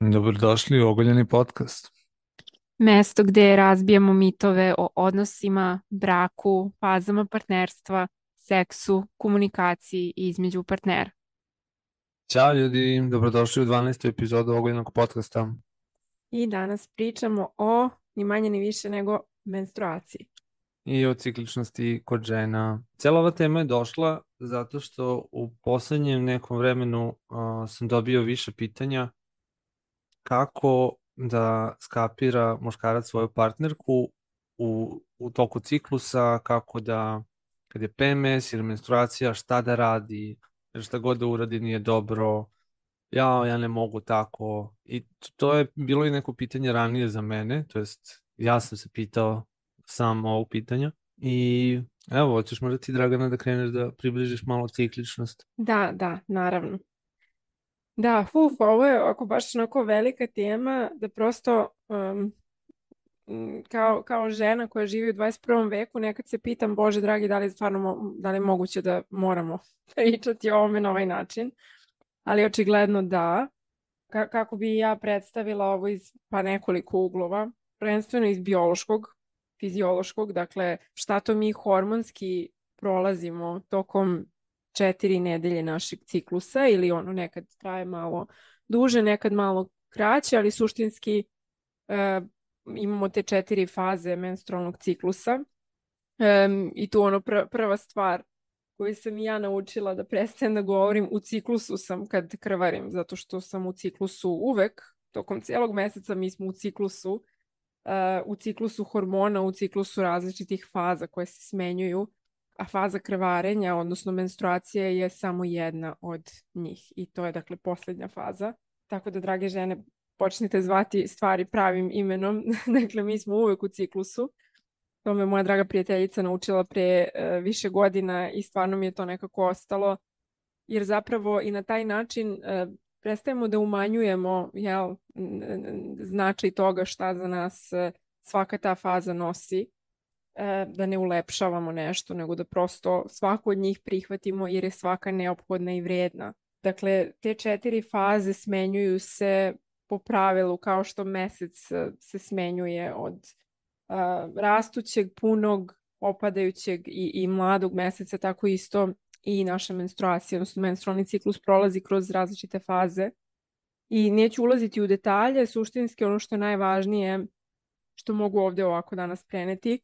Dobrodošli u Ogoljeni podcast. Mesto gde razbijamo mitove o odnosima, braku, fazama partnerstva, seksu, komunikaciji između partnera. Ćao ljudi, dobrodošli u 12. epizodu Ogoljenog podcasta. I danas pričamo o ni manje ni više nego menstruaciji. I o cikličnosti kod žena. Cijela ova tema je došla zato što u poslednjem nekom vremenu sam dobio više pitanja kako da skapira muškarac svoju partnerku u toku ciklusa, kako da, kad je PMS ili menstruacija, šta da radi, jer šta god da uradi nije dobro, ja ne mogu tako. I to je bilo i neko pitanje ranije za mene, to jest ja sam se pitao sam ovog pitanja. I evo, hoćeš možda ti, Dragana, da kreneš da približiš malo cikličnost? Da, naravno. Da, ovo je ako baš onako velika tema da prosto kao žena koja živi u 21. veku nekad se pitam, Bože dragi, da li je stvarno da li je moguće da moramo pričati o ovome na ovaj način, ali očigledno da. Kako bi ja predstavila ovo iz pa nekoliko uglova, prvenstveno iz biološkog, fiziološkog, dakle šta to mi hormonski prolazimo tokom 4 nedelje našeg ciklusa ili ono nekad traje malo duže, nekad malo kraće, ali suštinski imamo te 4 faze menstrualnog ciklusa. I tu ono prva stvar koju sam i ja naučila da prestajem da govorim u ciklusu sam kad krvarim, zato što sam u ciklusu uvek, tokom cijelog meseca mi smo u ciklusu hormona, u ciklusu različitih faza koje se smenjuju, a faza krvarenja, odnosno menstruacije je samo jedna od njih i to je dakle posljednja faza. Tako da, drage žene, počnite zvati stvari pravim imenom. Dakle, mi smo uvek u ciklusu. To me moja draga prijateljica naučila pre više godina i stvarno mi je to nekako ostalo, jer zapravo i na taj način prestajemo da umanjujemo značaj toga šta za nas svaka ta faza nosi, da ne ulepšavamo nešto, nego da prosto svaku od njih prihvatimo jer je svaka neophodna i vredna. Dakle, te 4 faze smenjuju se po pravilu kao što mesec se smenjuje od rastućeg, punog, opadajućeg i mladog meseca, tako isto i naša menstruacija, odnosno menstrualni ciklus prolazi kroz različite faze. I neću ulaziti u detalje, suštinski ono što je najvažnije, što mogu ovde ovako danas preneti,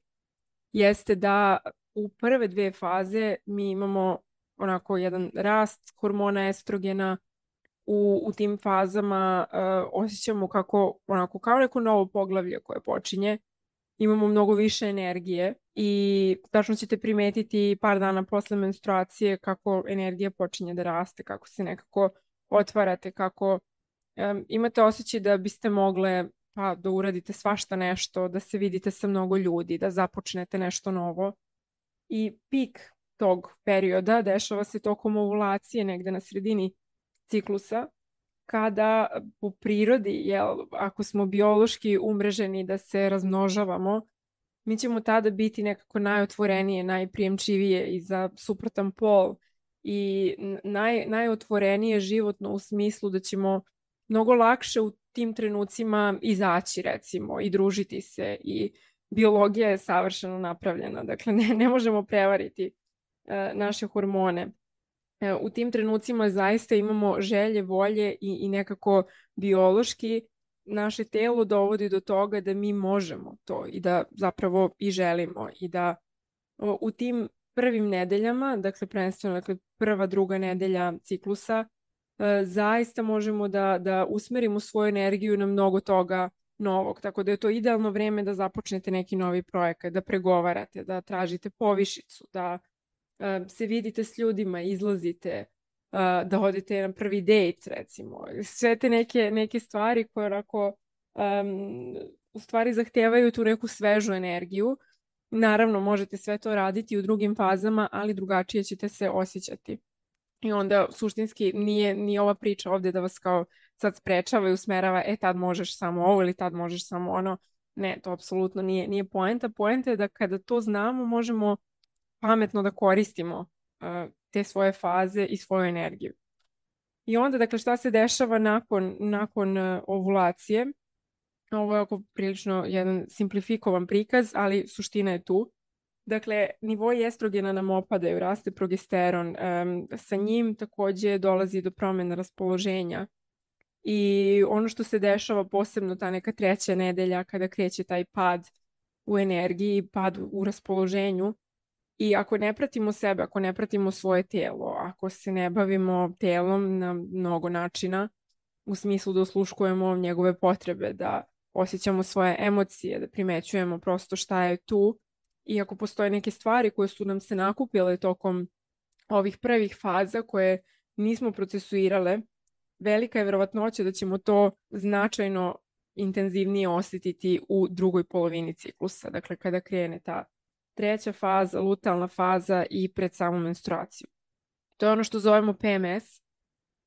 jeste da u prve 2 faze mi imamo onako jedan rast hormona estrogena. U tim fazama osjećamo kako, onako, kao neko novo poglavlje koje počinje. Imamo mnogo više energije i tačno ćete primetiti par dana posle menstruacije kako energija počinje da raste, kako se nekako otvarate, kako imate osjećaj da biste mogle pa da uradite svašta nešto, da se vidite sa mnogo ljudi, da započnete nešto novo. I pik tog perioda dešava se tokom ovulacije negde na sredini ciklusa, kada po prirodi, ako smo biološki umreženi da se razmnožavamo, mi ćemo tada biti nekako najotvorenije, najprijemčivije i za suprotan pol i najotvorenije životno u smislu da ćemo mnogo lakše u tim trenucima izaći, recimo, i družiti se, i biologija je savršeno napravljena, dakle ne možemo prevariti naše hormone. U tim trenucima zaista imamo želje, volje i nekako biološki naše telo dovodi do toga da mi možemo to i da zapravo i želimo i da u tim prvim nedeljama, dakle prvenstveno prva, druga nedelja ciklusa, zaista možemo da usmerimo svoju energiju na mnogo toga novog, tako da je to idealno vreme da započnete neki novi projekat, da pregovarate, da tražite povišicu, da se vidite s ljudima, izlazite, da odete na prvi dejt, recimo. Sve te neke stvari koje onako u stvari zahtevaju tu neku svežu energiju. Naravno, možete sve to raditi u drugim fazama, ali drugačije ćete se osjećati. I onda suštinski nije ova priča ovde da vas kao sad sprečava i usmerava, tad možeš samo ovo ili tad možeš samo ono. Ne, to apsolutno nije poenta. Poenta je da kada to znamo, možemo pametno da koristimo te svoje faze i svoju energiju. I onda, dakle, šta se dešava nakon ovulacije? Ovo je oko prilično jedan simplifikovan prikaz, ali suština je tu. Dakle, nivoji estrogena nam opadaju, raste progesteron, sa njim takođe dolazi do promjena raspoloženja. I ono što se dešava posebno ta neka 3. nedelja kada kreće taj pad u energiji, pad u raspoloženju, i ako ne pratimo sebe, ako ne pratimo svoje tijelo, ako se ne bavimo telom na mnogo načina, u smislu da osluškujemo njegove potrebe, da osjećamo svoje emocije, da primećujemo prosto šta je tu, i ako postoje neke stvari koje su nam se nakupile tokom ovih prvih faza koje nismo procesuirale, velika je verovatnoća da ćemo to značajno intenzivnije osjetiti u drugoj polovini ciklusa, dakle kada krene ta 3. faza, lutealna faza i pred samu menstruaciju. To je ono što zovemo PMS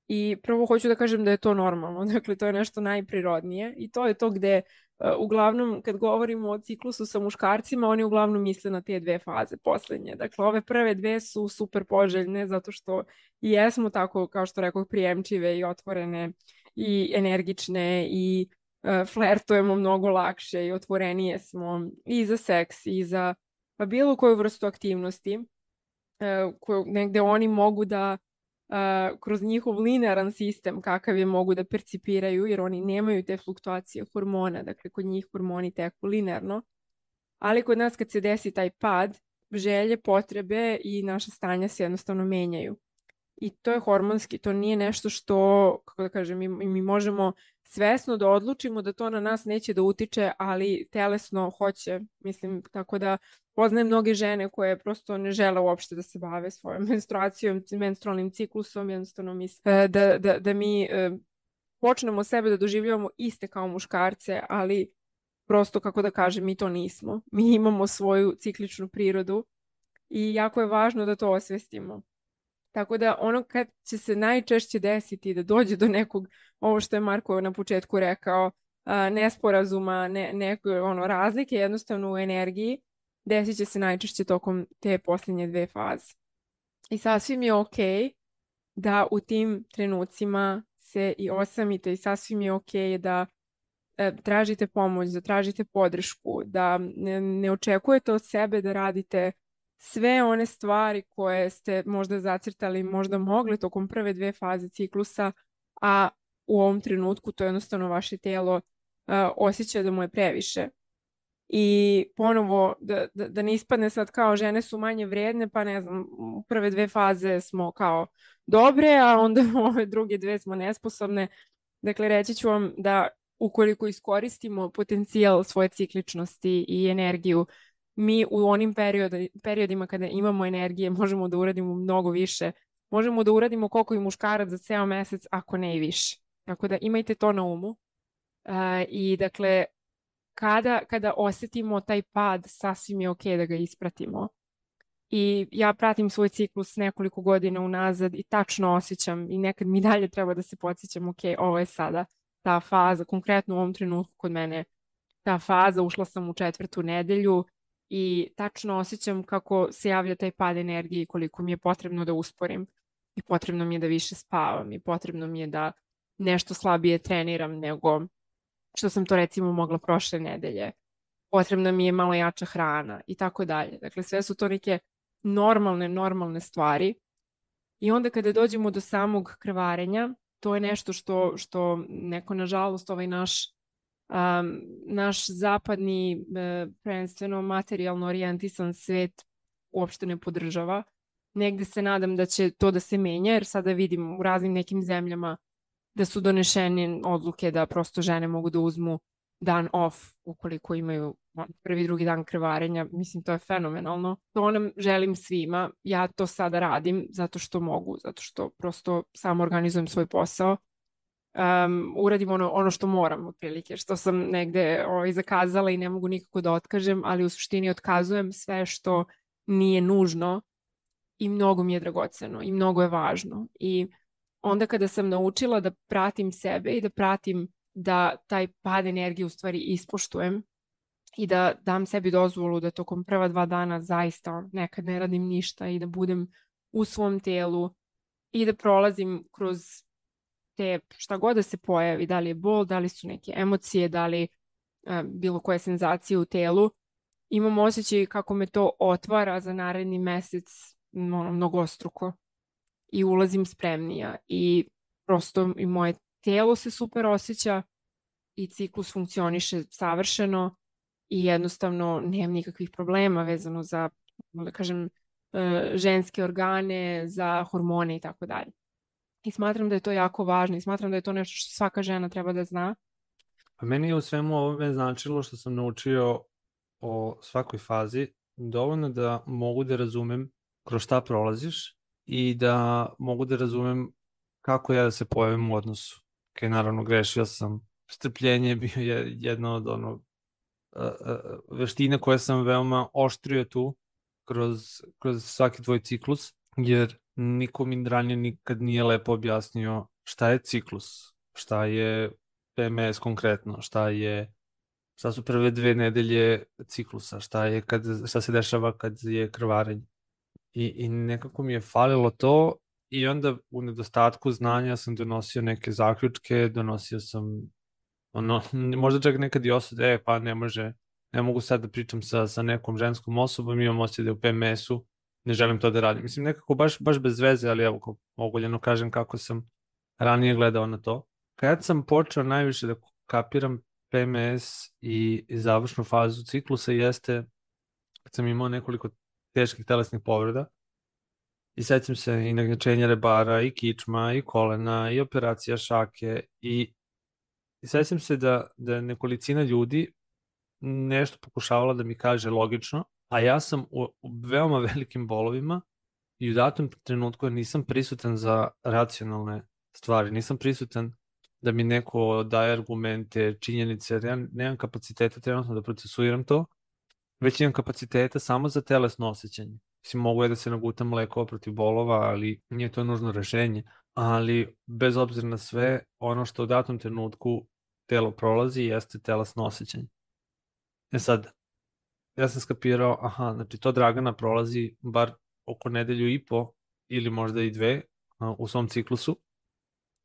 i prvo hoću da kažem da je to normalno, dakle to je nešto najprirodnije i to je to gde uglavnom kad govorimo o ciklusu sa muškarcima, oni uglavnom misle na te 2 faze poslednje. Dakle, ove prve 2 su super poželjne zato što i jesmo tako, kao što rekao, prijemčive i otvorene i energične i flertujemo mnogo lakše i otvorenije smo i za seks i za bilo koju vrstu aktivnosti koju negde oni mogu da kroz njihov linearan sistem kakav je mogu da percipiraju, jer oni nemaju te fluktuacije hormona, dakle kod njih hormoni teku linearno, ali kod nas kad se desi taj pad, želje, potrebe i naša stanja se jednostavno menjaju. I to je hormonski, to nije nešto što, kako da kažem, mi možemo svesno da odlučimo da to na nas neće da utiče, ali telesno hoće, mislim, tako da poznajem mnoge žene koje prosto ne žele uopšte da se bave svojom menstruacijom, menstrualnim ciklusom, jednostavno misle da mi počnemo sebe da doživljavamo iste kao muškarce, ali prosto, kako da kažem, mi to nismo. Mi imamo svoju cikličnu prirodu i jako je važno da to osvestimo. Tako da ono kad će se najčešće desiti da dođe do nekog, ovo što je Marko na početku rekao, nesporazuma, neke razlike jednostavno u energiji, desit će se najčešće tokom te posljednje 2 faze. I sasvim je okej da u tim trenucima se i osamite i sasvim je okej da tražite pomoć, da tražite podršku, da ne očekujete od sebe da radite sve one stvari koje ste možda zacrtali, možda mogli tokom prve 2 faze ciklusa, a u ovom trenutku to jednostavno vaše tijelo osjeća da mu je previše. I ponovo, da ne ispadne sad kao žene su manje vredne, pa ne znam, u prve 2 faze smo kao dobre, a onda u ove druge 2 smo nesposobne. Dakle, reći ću vam da ukoliko iskoristimo potencijal svoje cikličnosti i energiju, mi u onim periodima kada imamo energije možemo da uradimo mnogo više. Možemo da uradimo koliko i muškarac za ceo mesec, ako ne i više. Tako da imajte to na umu. I dakle, kada osetimo taj pad, sasvim je okej da ga ispratimo. I ja pratim svoj ciklus nekoliko godina unazad i tačno osjećam i nekad mi dalje treba da se podsjećam, okej, ovo je sada ta faza, konkretno u ovom trenutku kod mene ta faza, ušla sam u 4. nedelju i tačno osjećam kako se javlja taj pad energije i koliko mi je potrebno da usporim i potrebno mi je da više spavam i potrebno mi je da nešto slabije treniram nego što sam to recimo mogla prošle nedelje. Potrebna mi je malo jača hrana i tako dalje. Dakle, sve su to neke normalne stvari. I onda kada dođemo do samog krvarenja, to je nešto što neko, nažalost, ovaj naš zapadni, prvenstveno materijalno orijentisan svet uopšte ne podržava. Negde se nadam da će to da se menja, jer sada vidim u raznim nekim zemljama da su donešene odluke da prosto žene mogu da uzmu dan off ukoliko imaju prvi, drugi dan krvarenja. Mislim, to je fenomenalno. To nam želim svima. Ja to sada radim zato što mogu, zato što prosto samo organizujem svoj posao. Uradim ono što moram, otprilike, što sam negde zakazala i ne mogu nikako da otkažem, ali u suštini otkazujem sve što nije nužno i mnogo mi je dragoceno i mnogo je važno. I onda kada sam naučila da pratim sebe i da pratim da taj pad energije u stvari ispoštujem i da dam sebi dozvolu da tokom prva 2 dana zaista nekad ne radim ništa i da budem u svom telu i da prolazim kroz te, šta god da se pojavi, da li je bol, da li su neke emocije, da li bilo koje senzacije u telu, imam osjećaj kako me to otvara za naredni mesec mnogostruko i ulazim spremnija i prosto i moje telo se super osjeća i ciklus funkcioniše savršeno i jednostavno nemam nikakvih problema vezano za, da kažem, ženske organe, za hormone i tako dalje. I smatram da je to jako važno i smatram da je to nešto što svaka žena treba da zna. Pa meni je u svemu ovome značilo što sam naučio o svakoj fazi dovoljno da mogu da razumem kroz šta prolaziš i da mogu da razumem kako ja da se pojavim u odnosu. Naravno, grešio sam. Strpljenje je bio jedna od veština koje sam veoma oštrio tu kroz svaki tvoj ciklus, jer niko mi ranije nikad nije lepo objasnio šta je ciklus, šta je PMS konkretno, šta su prve 2 nedelje ciklusa, šta se dešava kad je krvarenje. I nekako mi je falilo to i onda u nedostatku znanja sam donosio neke zaključke, donosio sam možda čak nekad i osude, pa ne mogu sad da pričam sa nekom ženskom osobom, imam osjećaj da je u PMS-u, ne želim to da radim. Mislim, nekako baš bez veze, ali evo, ogoljeno kažem kako sam ranije gledao na to. Kad sam počeo najviše da kapiram PMS i završnu fazu ciklusa jeste kad sam imao nekoliko teških telesnih povreda i sećam se i nagnjačenja rebara, i kičma, i kolena, i operacija šake i sećam se da je nekolicina ljudi nešto pokušavala da mi kaže logično, a ja sam u veoma velikim bolovima i u datom trenutku nisam prisutan za racionalne stvari, nisam prisutan da mi neko daje argumente, činjenice, jer ja nemam kapaciteta trenutno da procesuiram to, već imam kapaciteta samo za telesno osjećanje. Mislim, mogu je da se nagutam lekova protiv bolova, ali nije to nužno rešenje. Ali bez obzira na sve, ono što u datom trenutku telo prolazi jeste telesno osjećanje. Sad, ja sam skapirao, znači to Dragana prolazi bar oko 1.5 ili možda i 2 u svom ciklusu.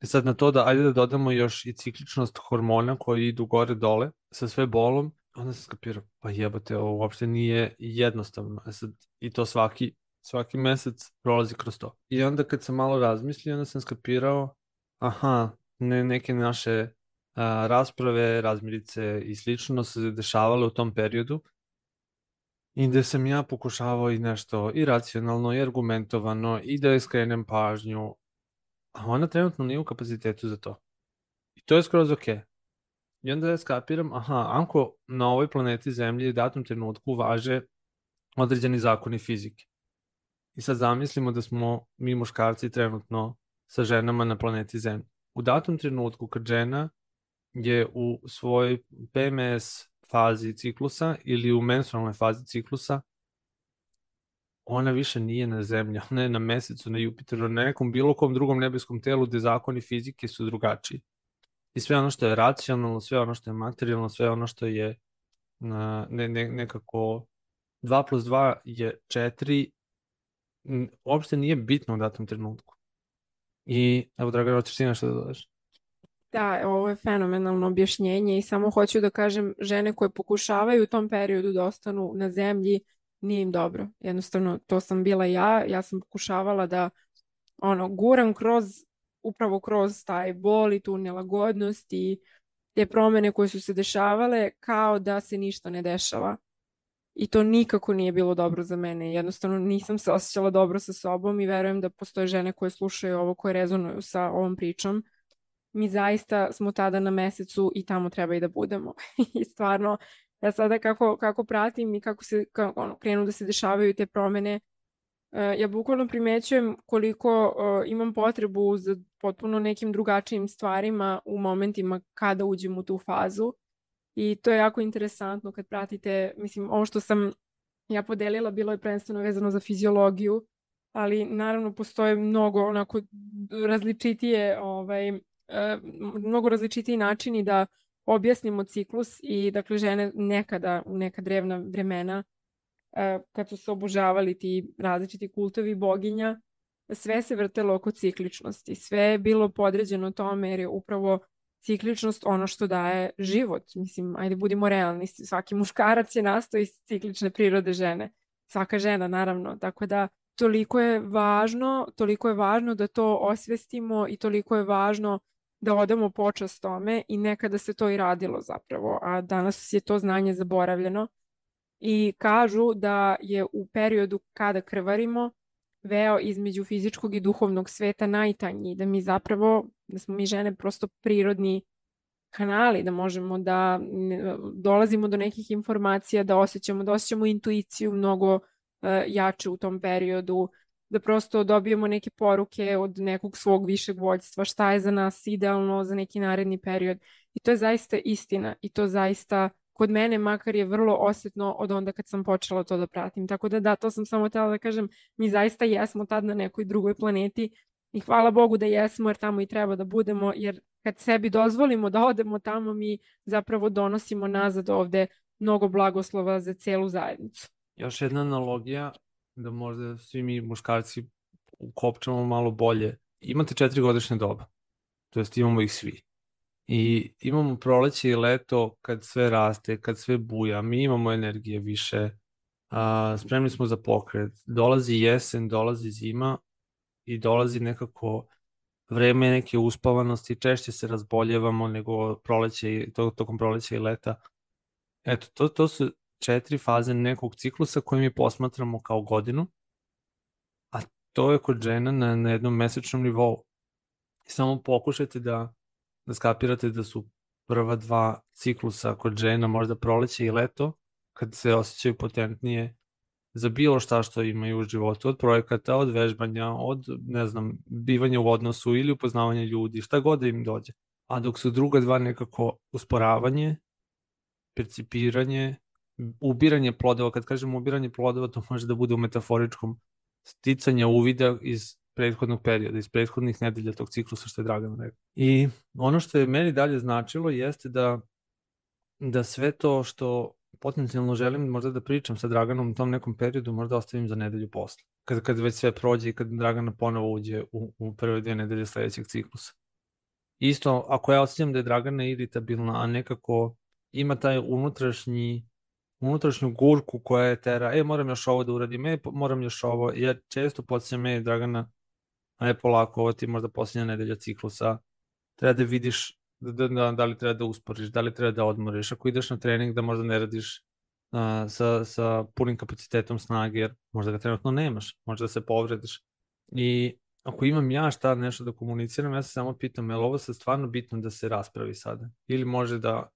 Sad na to ajde da dodamo još i cikličnost hormona koji idu gore dole sa sve bolom, onda sam skapirao, pa jebate, ovo uopšte nije jednostavno. Sad, i to svaki mesec prolazi kroz to. I onda kad sam malo razmislio, onda sam skapirao, neke naše rasprave, razmirice i slično se dešavale u tom periodu i gde sam ja pokušavao i nešto i racionalno i argumentovano i da skrenem pažnju, a ona trenutno nije u kapacitetu za to. I to je skroz okej. I onda ja skapiram, ako na ovoj planeti Zemlji u datom trenutku važe određeni zakoni fizike. I sad zamislimo da smo mi muškarci trenutno sa ženama na planeti Zemlji. U datom trenutku kad žena je u svojoj PMS fazi ciklusa ili u menstrualnoj fazi ciklusa, ona više nije na Zemlji, ona je na Mesecu, na Jupiteru, na nekom bilo kom drugom nebeskom telu gde zakoni fizike su drugačiji. I sve ono što je racionalno, sve ono što je materijalno, sve ono što je nekako 2+2 je 4, uopšte nije bitno u datom trenutku. I evo, Dragana, hoćeš ti nešto da dodaš? Da, ovo je fenomenalno objašnjenje i samo hoću da kažem, žene koje pokušavaju u tom periodu da ostanu na zemlji, nije im dobro. Jednostavno, to sam bila ja sam pokušavala da guram upravo kroz taj bol i tu nelagodnost i te promene koje su se dešavale kao da se ništa ne dešava. I to nikako nije bilo dobro za mene. Jednostavno nisam se osjećala dobro sa sobom i verujem da postoje žene koje slušaju ovo, koje rezonuju sa ovom pričom. Mi zaista smo tada na Mesecu i tamo treba i da budemo. I stvarno, ja sada kako pratim i kako krenu da se dešavaju te promene, ja bukvalno primećujem koliko imam potrebu za potpuno nekim drugačijim stvarima u momentima kada uđem u tu fazu. I to je jako interesantno kad pratite, mislim, ovo što sam ja podelila bilo je prvenstveno vezano za fiziologiju, ali naravno postoje mnogo mnogo različitiji načini da objasnimo ciklus i dakle žene nekada u neka drevna vremena kad su se obožavali ti različiti kultovi boginja, sve se vrtelo oko cikličnosti, sve je bilo podređeno tome jer je upravo cikličnost ono što daje život. Mislim, ajde budimo realni, svaki muškarac je nastao iz ciklične prirode žene. Svaka žena, naravno. Tako da toliko je važno da to osvestimo i toliko je važno da odamo počast tome i nekada se to i radilo zapravo, a danas je to znanje zaboravljeno. I kažu da je u periodu kada krvarimo veo između fizičkog i duhovnog sveta najtanji, da mi zapravo, da smo mi žene prosto prirodni kanali, da možemo da dolazimo do nekih informacija, da osjećamo intuiciju mnogo jače u tom periodu, da prosto dobijemo neke poruke od nekog svog višeg vođstva, šta je za nas idealno za neki naredni period. I to je zaista istina i to zaista kod mene makar je vrlo osjetno od onda kad sam počela to da pratim. Tako da, to sam samo htjela da kažem, mi zaista jesmo tad na nekoj drugoj planeti i hvala Bogu da jesmo jer tamo i treba da budemo, jer kad sebi dozvolimo da odemo tamo, mi zapravo donosimo nazad ovde mnogo blagoslova za celu zajednicu. Još jedna analogija, da možda svi mi muškarci ukopčamo malo bolje. Imate 4 godišnje doba, to jest imamo ih svi. I imamo proleće i leto kad sve raste, kad sve buja, mi imamo energije više, spremni smo za pokret, dolazi jesen, dolazi zima i dolazi nekako vreme neke uspavanosti, češće se razboljevamo nego tokom proleća i leta. Eto, to su 4 faze nekog ciklusa koje mi posmatramo kao godinu, a to je kod žena na jednom mesečnom nivou. I samo pokušajte da skapirate da su prva 2 ciklusa kod žena, možda proleće i leto, kad se osjećaju potentnije za bilo šta što imaju u životu, od projekata, od vežbanja, od, ne znam, bivanja u odnosu ili upoznavanja ljudi, šta god da im dođe. A dok su druga 2 nekako usporavanje, percipiranje, ubiranje plodova. Kad kažemo ubiranje plodova, to može da bude u metaforičkom sticanja uvida iz prethodnog perioda, iz prethodnih nedelja tog ciklusa, što je Dragan rekao. I ono što je meni dalje značilo jeste da sve to što potencijalno želim možda da pričam sa Draganom u tom nekom periodu, možda ostavim za nedelju posle. Kad već sve prođe i kad Dragana ponovo uđe u prve 2 nedelje sledećeg ciklusa. Isto, ako ja osjećam da je Dragana iritabilna, a nekako ima taj unutrašnju gurku koja je tera, moram još ovo da uradim, moram još ovo, ja često podsjećam, Dragana, aj polako, ovo ti možda posljednja nedelja ciklusa, treba da vidiš da li treba da usporiš, da li treba da odmoriš, ako ideš na trening da možda ne radiš sa punim kapacitetom snage, jer možda ga trenutno nemaš, možda se povrediš. I ako imam ja šta nešto da komuniciram, ja se samo pitam, je li ovo sad stvarno bitno da se raspravi sada? Ili može da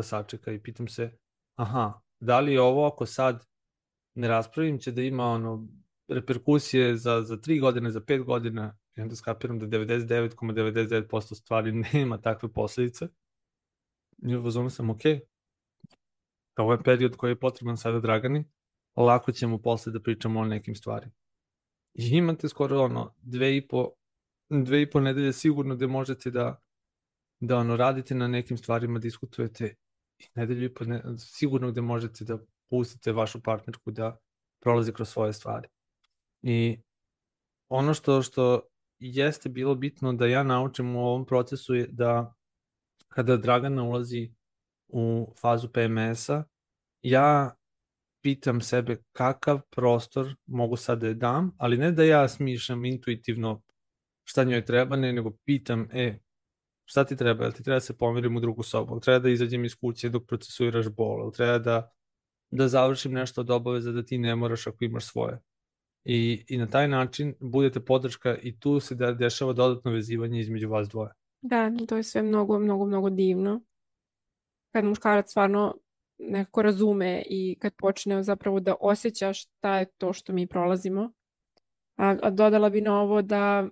sačeka i pitam se, da li je ovo ako sad ne raspravim će da ima reperkusije za 3 godine, za 5 godina, i onda skapiram da 99,99% stvari nema takve posledice. I uzmano sam, ovo je period koji je potreban sada Dragani, lako ćemo posle da pričamo o nekim stvarima. I imate skoro 2,5 nedelje sigurno gde možete da radite na nekim stvarima, diskutujete, i nedelju i po sigurno gde možete da pustite vašu partnerku da prolazi kroz svoje stvari. I ono što jeste bilo bitno da ja naučim u ovom procesu je da kada Dragana ulazi u fazu PMS-a, ja pitam sebe kakav prostor mogu sad da je dam, ali ne da ja smišljam intuitivno šta njoj treba, nego pitam, šta ti treba, jel ti treba da se pomirim u drugu sobu, treba da izađem iz kuće dok procesuiraš bol, treba da završim nešto od obaveza da ti ne moraš ako imaš svoje. I na taj način budete podrška i tu se dešava dodatno vezivanje između vas dvoje. Da, to je sve mnogo, mnogo, mnogo divno. Kad muškarac stvarno nekako razume i kad počne zapravo da osjeća šta je to što mi prolazimo. A dodala bi na ovo da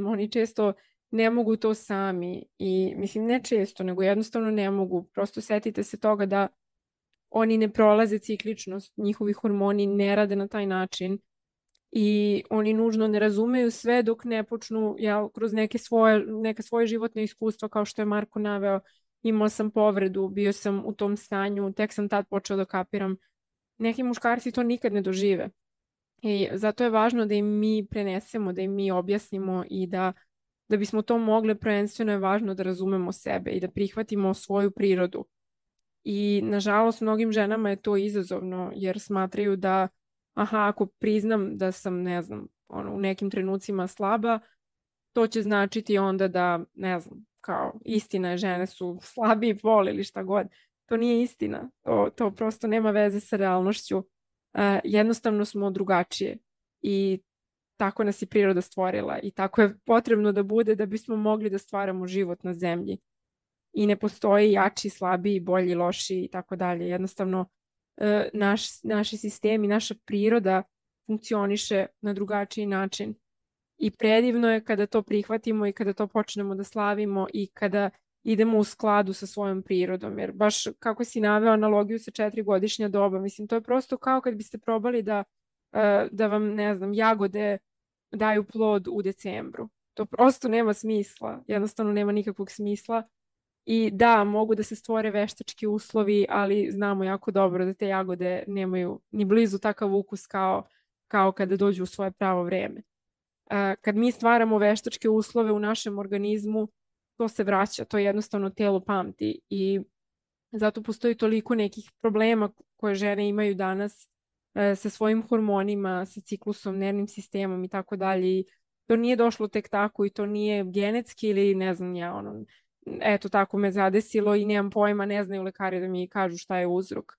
oni često ne mogu to sami i mislim ne često, nego jednostavno ne mogu. Prosto setite se toga da oni ne prolaze cikličnost, njihovi hormoni ne rade na taj način i oni nužno ne razumeju sve dok ne počnu kroz neka svoje životne iskustva, kao što je Marko naveo. Imao sam povredu, bio sam u tom stanju, tek sam tad počeo da kapiram. Neki muškarci to nikad ne dožive. I zato je važno da im mi prenesemo, da im mi objasnimo i da bismo to mogli, prvenstveno je važno da razumemo sebe i da prihvatimo svoju prirodu. I nažalost mnogim ženama je to izazovno jer smatraju da aha, ako priznam da sam, ne znam, u nekim trenucima slaba, to će značiti onda da, ne znam, kao istina je žene su slabiji pol ili šta god. To nije istina. To prosto nema veze sa realnošću. Jednostavno smo drugačije i tako nas je priroda stvorila i tako je potrebno da bude da bismo mogli da stvaramo život na zemlji. I ne postoji jači, slabiji, bolji, loši i tako dalje. Jednostavno naši sistemi, naša priroda funkcioniše na drugačiji način. I predivno je kada to prihvatimo i kada to počnemo da slavimo i kada idemo u skladu sa svojom prirodom. Jer baš kako si naveo analogiju sa 4-godišnja doba, mislim, to je prosto kao kad biste probali da vam, ne znam, jagode daju plod u decembru. To prosto nema smisla. Jednostavno nema nikakvog smisla. I da, mogu da se stvore veštački uslovi, ali znamo jako dobro da te jagode nemaju ni blizu takav ukus kao kada dođu u svoje pravo vreme. Kad mi stvaramo veštačke uslove u našem organizmu, to se vraća, to jednostavno telo pamti i zato postoji toliko nekih problema koje žene imaju danas sa svojim hormonima, sa ciklusom, nervnim sistemom i tako dalje. I to nije došlo tek tako i to nije genetski ili ne znam ja, eto tako me zadesilo i nemam pojma, ne znaju lekari da mi kažu šta je uzrok.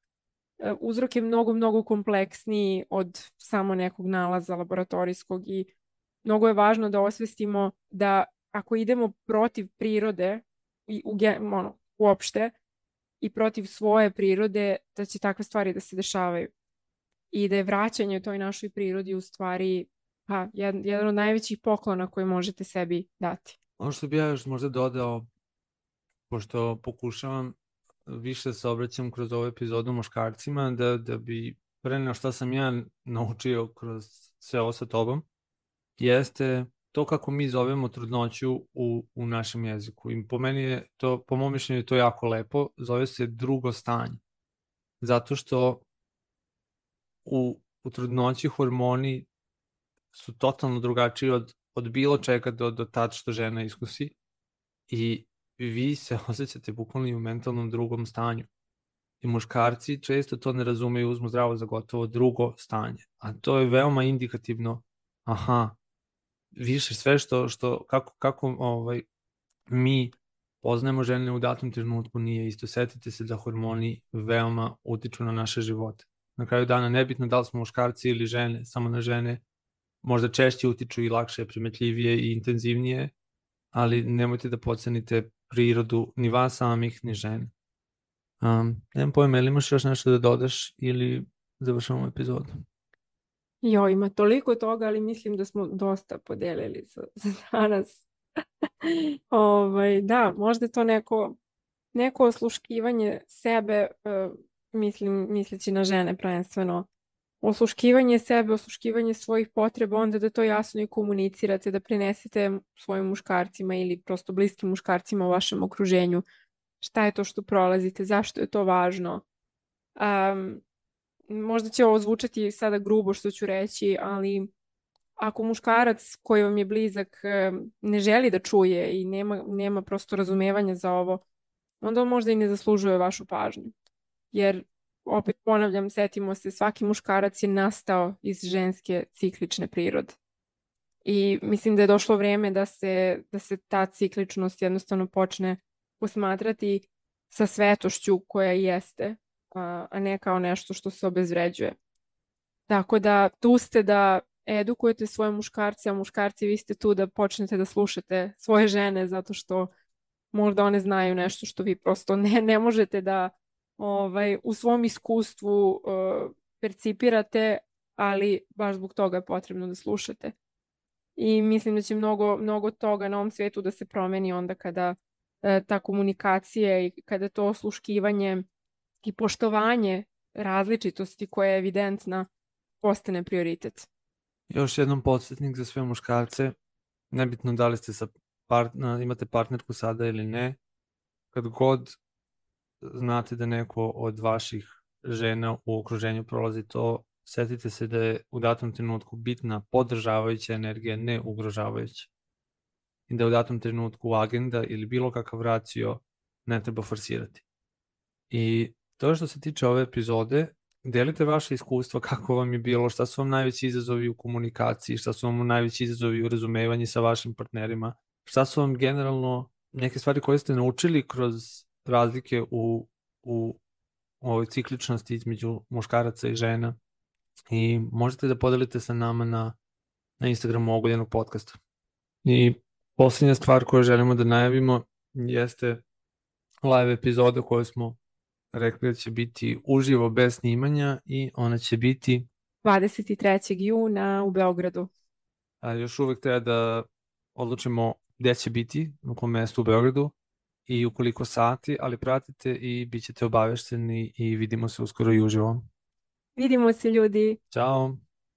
Uzrok je mnogo, mnogo kompleksniji od samo nekog nalaza laboratorijskog i mnogo je važno da osvestimo da ako idemo protiv prirode i uopšte i protiv svoje prirode, da će takve stvari da se dešavaju. I da je vraćanje toj našoj prirodi u stvari jedan od najvećih poklona koje možete sebi dati. Ono što bi ja još možda dodao, pošto pokušavam više se obraćam kroz ovu epizodu muškarcima, da bi preneo šta sam ja naučio kroz sve ovo sa tobom, jeste to kako mi zovemo trudnoću u našem jeziku. I po meni je to, po mom mišljenju je to jako lepo, zove se drugo stanje. Zato što u trudnoći hormoni su totalno drugačiji od bilo čega do tad što žena iskusi i vi se osjećate bukvalno i u mentalnom drugom stanju. I muškarci često to ne razumeju, uzmu zdravo za gotovo drugo stanje. A to je veoma indikativno. Aha, više sve kako mi poznajemo žene u datom trenutku nije isto. Setite se da hormoni veoma utiču na naše živote. Na kraju dana nebitno da li smo muškarci ili žene, samo na žene možda češće utiču i lakše, primetljivije i intenzivnije, ali nemojte da podcenite prirodu ni vas samih, ni žene. Nemam pojma, ili imaš još nešto da dodaš ili završamo epizodu? Jo, ima toliko toga, ali mislim da smo dosta podelili za danas. Da, možda je to neko osluškivanje sebe, misleći na žene prvenstveno. Osluškivanje sebe, osluškivanje svojih potreba, onda da to jasno i komunicirate, da prenesete svojim muškarcima ili prosto bliskim muškarcima u vašem okruženju. Šta je to što prolazite, zašto je to važno. Možda će ovo zvučati sada grubo što ću reći, ali ako muškarac koji vam je blizak ne želi da čuje i nema prosto razumevanja za ovo, onda on možda i ne zaslužuje vašu pažnju. Jer, opet ponavljam, setimo se, svaki muškarac je nastao iz ženske ciklične prirode. I mislim da je došlo vrijeme da se ta cikličnost jednostavno počne posmatrati sa svetošću koja jeste, a ne kao nešto što se obezvređuje. Tako da tu ste da edukujete svoje muškarce, a muškarci vi ste tu da počnete da slušate svoje žene zato što možda one znaju nešto što vi prosto ne možete da u svom iskustvu percipirate, ali baš zbog toga je potrebno da slušate. I mislim da će mnogo toga na ovom svijetu da se promeni onda kada ta komunikacija i kada to osluškivanje i poštovanje različitosti koja je evidentna postane prioritet. Još jednom podsjetnik za sve muškarce, nebitno da li ste imate partnerku sada ili ne, kad god znate da neko od vaših žena u okruženju prolazi to, setite se da je u datom trenutku bitna podržavajuća energija, ne ugrožavajuća. I da u datom trenutku agenda ili bilo kakav racio ne treba forsirati. I to što se tiče ove epizode, delite vaše iskustva kako vam je bilo, šta su vam najveći izazovi u komunikaciji, šta su vam najveći izazovi u razumevanju sa vašim partnerima, šta su vam generalno neke stvari koje ste naučili kroz razlike u ovoj cikličnosti između muškaraca i žena i možete da podelite sa nama na Instagramu Ogoljenog podcasta. I posljednja stvar koju želimo da najavimo jeste live epizoda koju smo rekli da će biti uživo bez snimanja i ona će biti 23. juna u Beogradu. Još uvek treba da odlučimo gde će biti, u kom mestu u Beogradu i u koliko sati, ali pratite i bit ćete obavešteni i vidimo se uskoro i uživo. Vidimo se ljudi. Ćao!